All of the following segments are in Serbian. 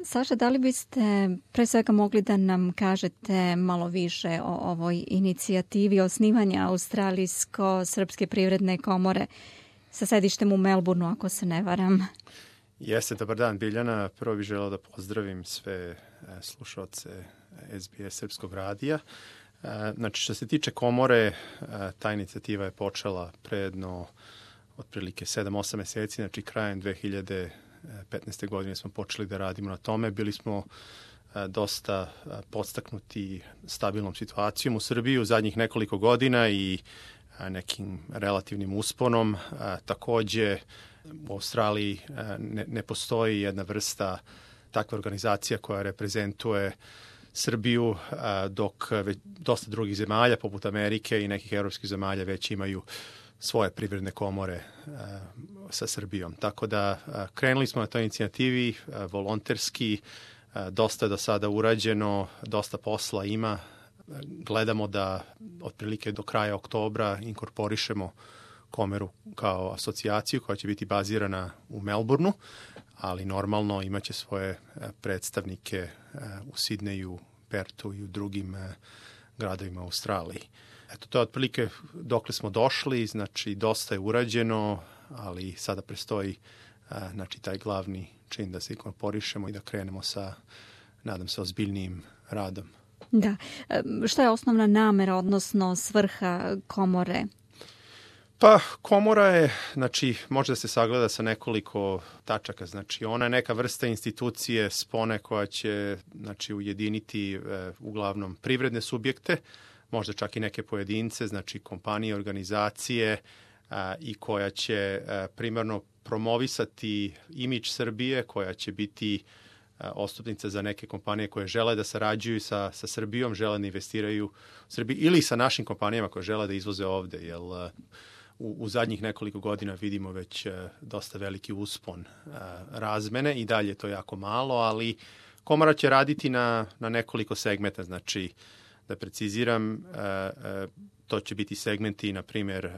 Saša, da li biste pre svega mogli da nam kažete malo više o ovoj inicijativi osnivanja Australijsko-srpske privredne komore sa sedištem u Melbourneu, ako se ne varam? Jeste, dobar dan Biljana. Prvo bih želeo da pozdravim sve slušaoce SBS Srpskog radija. Znači, što se tiče komore, ta inicijativa je počela pre jedno otprilike 7-8 meseci, znači krajem 2015. godine smo počeli da radimo na tome. Bili smo dosta podstaknuti stabilnom situacijom u Srbiji u zadnjih nekoliko godina i nekim relativnim usponom. Takođe, u Australiji ne postoji jedna vrsta takva organizacija koja reprezentuje Srbiju, dok dosta drugih zemalja, poput Amerike i nekih evropskih zemalja, već imaju svoje privredne komore sa Srbijom. Tako da krenuli smo na toj inicijativi volonterski, dosta je do sada urađeno, dosta posla ima. Gledamo da otprilike do kraja oktobra inkorporišemo komoru kao asocijaciju koja će biti bazirana u Melbourneu, ali normalno imaće svoje predstavnike u Sidneju, Pertu i u drugim gradovima u Australiji. Eto, to je otprilike dokle smo došli, znači dosta je urađeno, ali sada prestoji znači, taj glavni čin da se inkorporišemo i da krenemo sa, nadam se, ozbiljnijim radom. Da. Šta je osnovna namera, odnosno svrha komore? Pa, komora je, znači, može da se sagleda sa nekoliko tačaka. Znači, ona je neka vrsta institucije spone koja će, znači, ujediniti uglavnom privredne subjekte, možda čak i neke pojedince, znači kompanije, organizacije i koja će primarno promovisati imidž Srbije, koja će biti odstupnica za neke kompanije koje žele da sarađuju sa Srbijom, žele da investiraju u Srbiji ili sa našim kompanijama koje žele da izvoze ovde, jer u zadnjih nekoliko godina vidimo već dosta veliki uspon razmene i dalje je to jako malo, ali komora će raditi na nekoliko segmenta, znači da preciziram, to će biti segmenti, na primjer,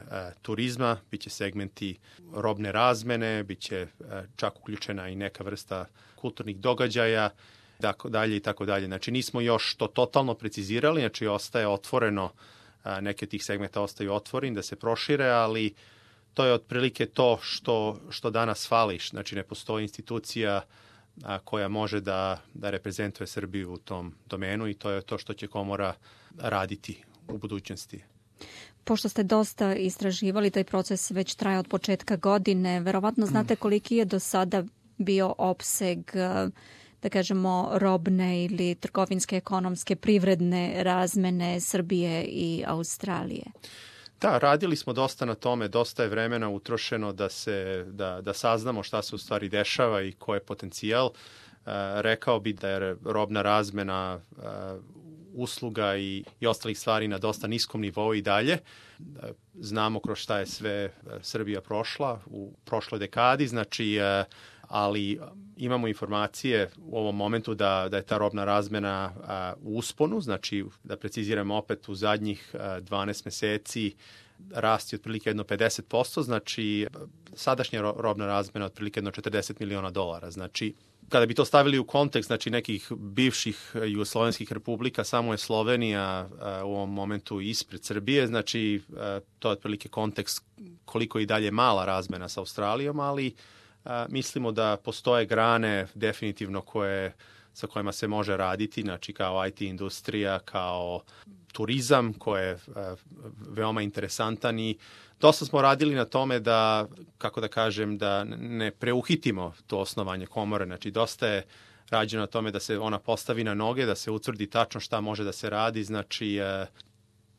turizma, bit će segmenti robne razmene, bit će čak uključena i neka vrsta kulturnih događaja, dalje i tako dalje. Znači, nismo još to totalno precizirali, znači ostaje otvoreno, neke tih segmenta ostaju otvoreni da se prošire, ali to je otprilike to što danas fali. Znači, ne postoji institucija koja može da reprezentuje Srbiju u tom domenu i to je to što će komora raditi u budućnosti. Pošto ste dosta istraživali, taj proces već traje od početka godine, verovatno znate koliki je do sada bio opseg, da kažemo, robne ili trgovinske, ekonomske, privredne razmene Srbije i Australije? Da, radili smo dosta na tome, dosta je vremena utrošeno da saznamo šta se u stvari dešava i ko je potencijal. Rekao bi da je robna razmena usluga i ostalih stvari na dosta niskom nivou i dalje. Znamo kroz šta je sve Srbija prošla u prošloj dekadi, znači, ali imamo informacije u ovom momentu da je ta robna razmena u usponu, znači da preciziramo opet u zadnjih 12 meseci rasti otprilike jedno 50%, znači sadašnja robna razmena otprilike jedno $40 miliona. Znači, kada bi to stavili u kontekst, znači nekih bivših jugoslovenskih republika, samo je Slovenija u ovom momentu ispred Srbije, znači to je otprilike kontekst koliko i dalje mala razmena sa Australijom, ali mislimo da postoje grane definitivno sa kojima se može raditi, znači kao IT industrija, kao turizam koji je veoma interesantan i dosta smo radili na tome da, kako da kažem, da ne preuhitimo to osnovanje komore, znači dosta je rađeno na tome da se ona postavi na noge, da se utvrdi tačno šta može da se radi, znači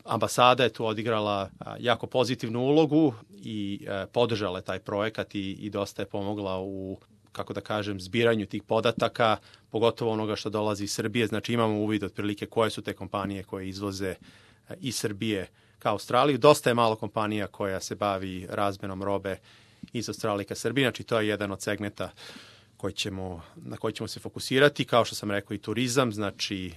ambasada je tu odigrala jako pozitivnu ulogu i podržala je taj projekat i dosta je pomogla u, kako da kažem, zbiranju tih podataka, pogotovo onoga što dolazi iz Srbije. Znači imamo uvid otprilike koje su te kompanije koje izvoze iz Srbije ka Australiju. Dosta je malo kompanija koja se bavi razmenom robe iz Australije ka Srbiji. Znači to je jedan od segmenta na koji ćemo se fokusirati. Kao što sam rekao, i turizam, znači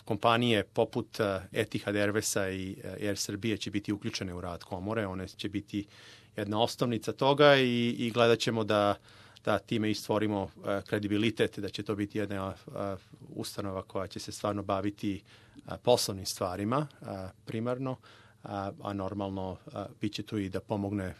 kompanije poput Etihad Airwaysa i Air Srbije će biti uključene u rad komore. One će biti jedna osnovnica toga i gledat ćemo da da time i stvorimo kredibilitet, da će to biti jedna ustanova koja će se stvarno baviti poslovnim stvarima primarno, a normalno bit će tu i da pomogne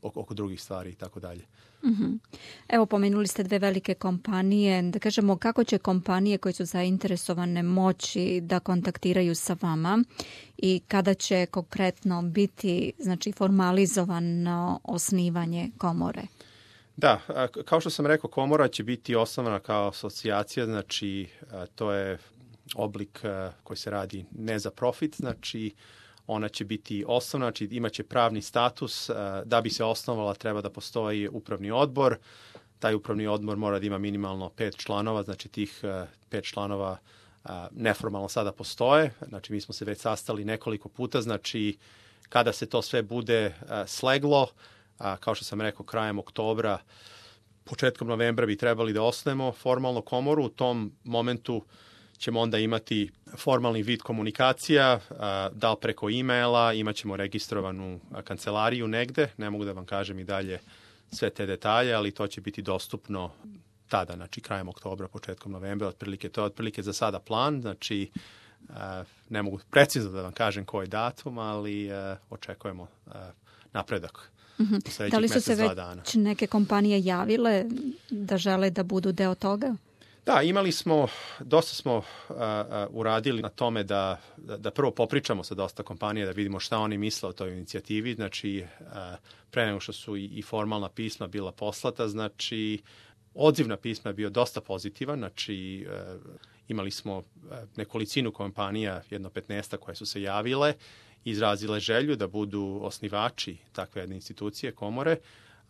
oko drugih stvari i tako dalje. Mm-hmm. Evo, pomenuli ste 2 velike kompanije. Da kažemo, kako će kompanije koje su zainteresovane moći da kontaktiraju sa vama i kada će konkretno biti, znači, formalizovano osnivanje komore? Da, kao što sam rekao, komora će biti osnovana kao asocijacija, znači to je oblik koji se radi ne za profit, znači ona će biti osnovna, znači imaće pravni status. Da bi se osnovala treba da postoji upravni odbor. Taj upravni odbor mora da ima minimalno 5 članova, znači tih 5 članova neformalno sada postoje. Znači mi smo se već sastali nekoliko puta, znači kada se to sve bude sleglo, kao što sam rekao, krajem oktobra, početkom novembra bi trebali da osnujemo formalno komoru. U tom momentu ćemo onda imati formalni vid komunikacija, da li preko e-maila, imat ćemo registrovanu kancelariju negde, ne mogu da vam kažem i dalje sve te detalje, ali to će biti dostupno tada, znači krajem oktobra, početkom novembra, otprilike, to je otprilike za sada plan, znači ne mogu precizno da vam kažem koji datum, ali očekujemo napredak. Mm-hmm. Da li su se već neke kompanije javile da žele da budu deo toga? Da, dosta smo uradili na tome da prvo popričamo sa dosta kompanija, da vidimo šta oni misle o toj inicijativi, znači pre nego što su i formalna pisma bila poslata, znači odziv na pisma je bio dosta pozitivan, znači imali smo nekolicinu kompanija, 15 koje su se javile, izrazile želju da budu osnivači takve jedne institucije, komore,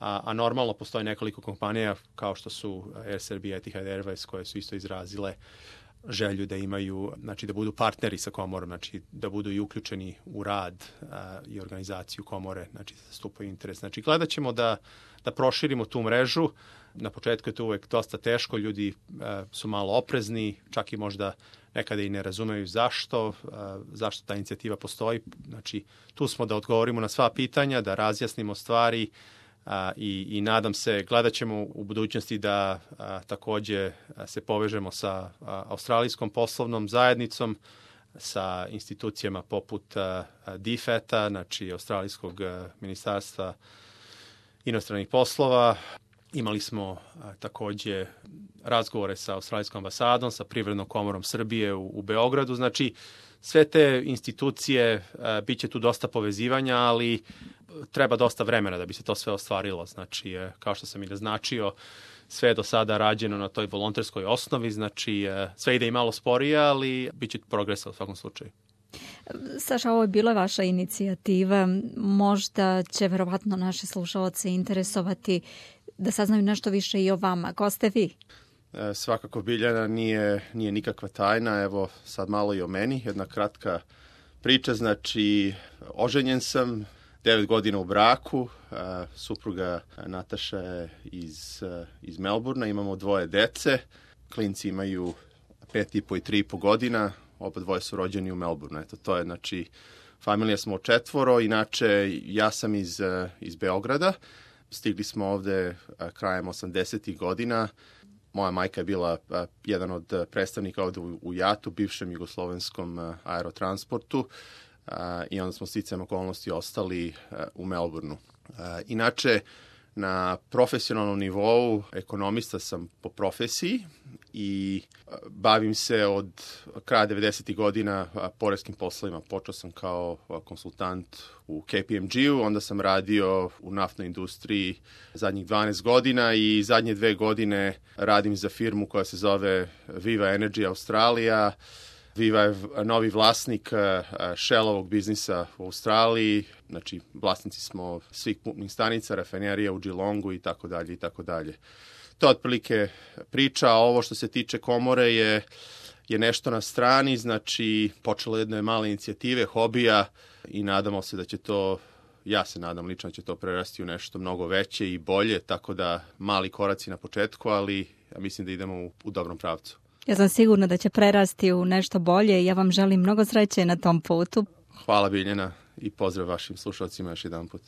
a normalno postoji nekoliko kompanija kao što su Air Serbia, Etihad Airways, koje su isto izrazile želju da imaju, znači da budu partneri sa komorom, znači da budu i uključeni u rad i organizaciju komore, znači da zastupaju interes. Znači gledat ćemo da proširimo tu mrežu. Na početku je to uvek dosta teško, ljudi su malo oprezni, čak i možda nekada i ne razumeju zašto ta inicijativa postoji. Znači tu smo da odgovorimo na sva pitanja, da razjasnimo stvari, i nadam se, gledat ćemo u budućnosti da takođe se povežemo sa australijskom poslovnom zajednicom, sa institucijama poput DFAT-a, znači Australijskog ministarstva inostranih poslova. Imali smo takođe razgovore sa Australijskom ambasadom, sa Privrednom komorom Srbije u Beogradu. Znači, sve te institucije, bit će tu dosta povezivanja, ali treba dosta vremena da bi se to sve ostvarilo. Znači, kao što sam i naznačio, sve je do sada rađeno na toj volonterskoj osnovi, znači sve ide i malo sporije, ali bit će progresa u svakom slučaju. Saša, ovo je bila vaša inicijativa. Možda će verovatno naše slušalce interesovati da saznaju nešto više i o vama. Ko ste vi? Svakako, Biljana, nije nikakva tajna. Evo sad malo i o meni. Jedna kratka priča. Znači, oženjen sam, 9 godina u braku. Supruga Nataša je iz Melbourna. Imamo 2 dece. Klinci imaju 5,5 i 3,5 godina. Oba dvoje su rođeni u Melbourneu. Eto, to je, znači, familija smo 4. Inače, ja sam iz Beograda. Stigli smo ovde krajem 80. godina. Moja majka je bila jedan od predstavnika ovde u JAT-u, bivšem jugoslovenskom aerotransportu, i onda smo sticajem okolnosti ostali u Melbourneu. Inače, na profesionalnom nivou ekonomista sam po profesiji i bavim se od kraja 90. godina poreskim poslovima. Počeo sam kao konsultant u KPMG-u, onda sam radio u naftnoj industriji zadnjih 12 godina i zadnje 2 godine radim za firmu koja se zove Viva Energy Australija. Viva je novi vlasnik Shellovog biznisa u Australiji, znači vlasnici smo svih pumpnih stanica, rafinerija u Geelongu i tako dalje i tako dalje. To je otprilike priča, a ovo što se tiče komore je nešto na strani, znači počelo jedne male inicijative, hobija, i nadamo se da će to, ja se nadam lično, da će to prerasti u nešto mnogo veće i bolje, tako da mali koraci na početku, ali ja mislim da idemo u dobrom pravcu. Ja sam sigurna da će prerasti u nešto bolje i ja vam želim mnogo sreće na tom putu. Hvala, Biljana, i pozdrav vašim slušalcima još jedan put.